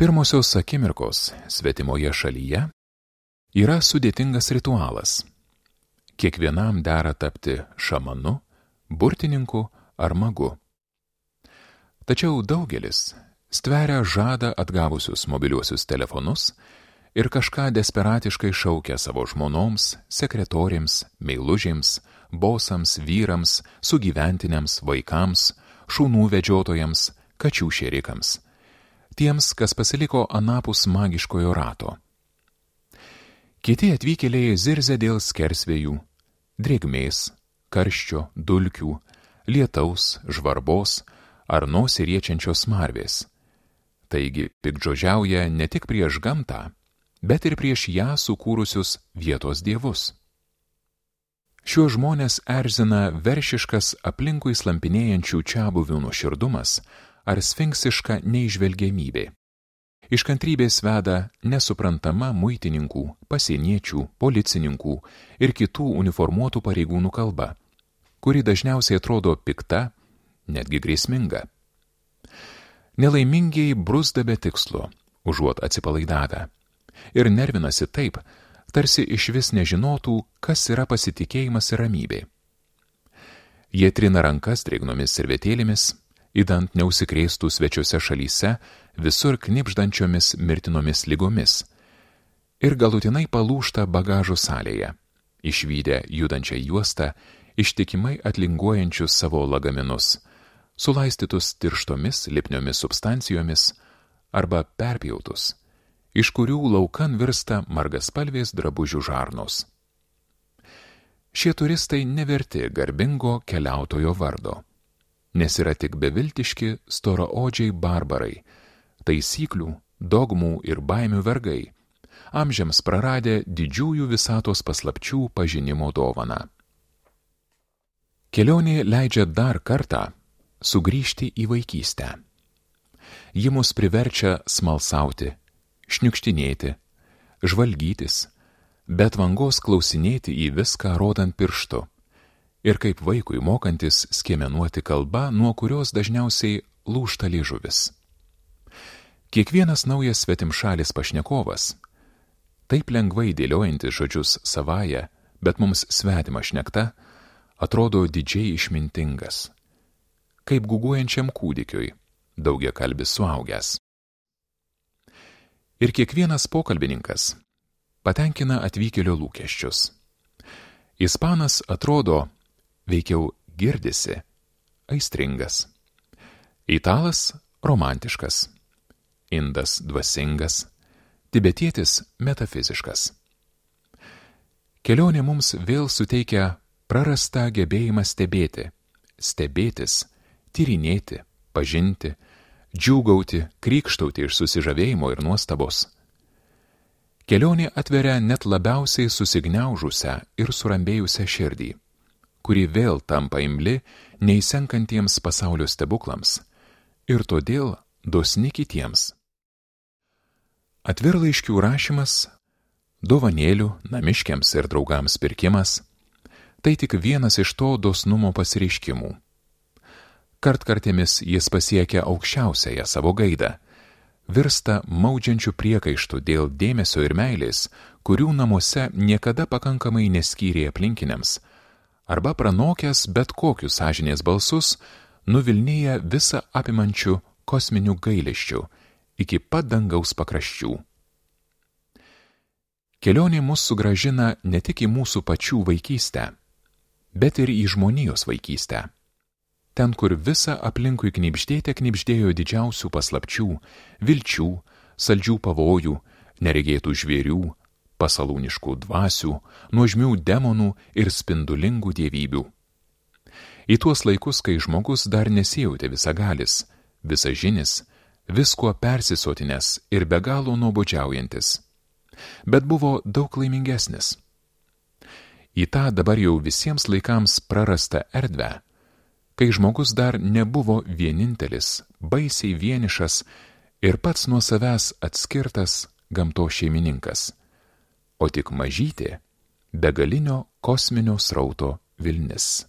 Pirmosios akimirkos svetimoje šalyje yra sudėtingas ritualas. Kiekvienam dera tapti šamanu, burtininku ar magu. Tačiau daugelis stveria žadą atgavusius mobiliuosius telefonus ir kažką desperatiškai šaukia savo žmonoms, sekretorėms, meilužėms, bosams, vyrams, sugyventiniams, vaikams, šunų vedžiotojams, kačių šėrikams, tiems, kas pasiliko anapus magiškojo rato. Kiti atvykėliai zirzia dėl skersvėjų, drėgmės, karščio, dulkių, lietaus, žvarbos ar nosį riečiančios smarvės. Taigi piktžodžiauja ne tik prieš gamtą, bet ir prieš ją sukūrusius vietos dievus. Šiuos žmonės erzina veršiškas aplinkui slampinėjančių čiabuvių nuoširdumas ar sfinksiška neįžvelgiamybė. Iš kantrybės veda nesuprantama muitininkų, pasieniečių, policininkų ir kitų uniformuotų pareigūnų kalba, kuri dažniausiai atrodo pikta, netgi grėsminga. Nelaimingieji bruzda be tikslo, užuot atsipalaidavę, ir nervinasi taip, tarsi išvis nežinotų, kas yra pasitikėjimas ir ramybė. Jie trina rankas drėgnomis servetėlėmis, idant neužsikrėstų svečiose šalyse visur knibždančiomis mirtinomis ligomis, ir galutinai palūžta bagažo salėje, išvydę judančią juostą, ištikimai atlinguojančius savo lagaminus, sulaistytus tirštomis lipniomis substancijomis arba perpjautus, iš kurių laukan virsta margaspalvės drabužių žarnos. Šie turistai neverti garbingo keliautojo vardo, nes yra tik beviltiški storaodžiai barbarai, taisyklių, dogmų ir baimių vergai, amžiams praradę didžiųjų visatos paslapčių pažinimo dovaną. Kelionė leidžia dar kartą sugrįžti į vaikystę. Ji mus priverčia smalsauti, šniukštinėti, žvalgytis, bet vangos klausinėti į viską rodant pirštu ir kaip vaikui mokantis skiemenuoti kalbą, nuo kurios dažniausiai lūžta liežuvis. Kiekvienas naujas svetimšalis pašnekovas, taip lengvai dėliojantis žodžius savaja, bet mums svetima šnekta, atrodo didžiai išmintingas, kaip guguojančiam kūdikiui, daugiakalbis suaugęs. Ir kiekvienas pokalbininkas patenkina atvykėlio lūkesčius. Ispanas atrodo, veikiau girdisi, aistringas. Italas romantiškas. Indas dvasingas. Tibetietis metafiziškas. Kelionė mums vėl suteikia prarastą gebėjimą stebėti, stebėtis, tyrinėti, pažinti, džiūgauti, krykštauti iš susižavėjimo ir nuostabos. Kelionė atveria net labiausiai susigniaužusią ir surambėjusią širdį, kuri vėl tampa imli neįsenkantiems pasaulio stebuklams ir todėl dosni kitiems. Atvirlaiškių rašymas, dovanėlių namiškiams ir draugams pirkimas – tai tik vienas iš to dosnumo pasireiškimų. Kartkartėmis jis pasiekia aukščiausiąją savo gaidą, virsta maudžiančių priekaištų dėl dėmesio ir meilės, kurių namuose niekada pakankamai neskyrė aplinkiniams, arba pranokęs bet kokius sąžinės balsus, nuvilnėja visą apimančių kosminių gailesčių iki pat dangaus pakraščių. Kelionė mus sugrąžina ne tik į mūsų pačių vaikystę, bet ir į žmonijos vaikystę. Ten, kur visa aplinkui knibždėjo didžiausių paslapčių, vilčių, saldžių pavojų, neregėtų žvėrių, pasalūniškų dvasių, nuožmių demonų ir spindulingų dievybių. Į tuos laikus, kai žmogus dar nesijautė visagalis, visažinis, viskuo persisotinęs ir be galo nuobodžiaujantis, bet buvo daug laimingesnis. Į tą dabar jau visiems laikams prarastą erdvę, kai žmogus dar nebuvo vienintelis, baisiai vienišas ir pats nuo savęs atskirtas gamtos šeimininkas, o tik mažytė, begalinio kosminio srauto vilnis.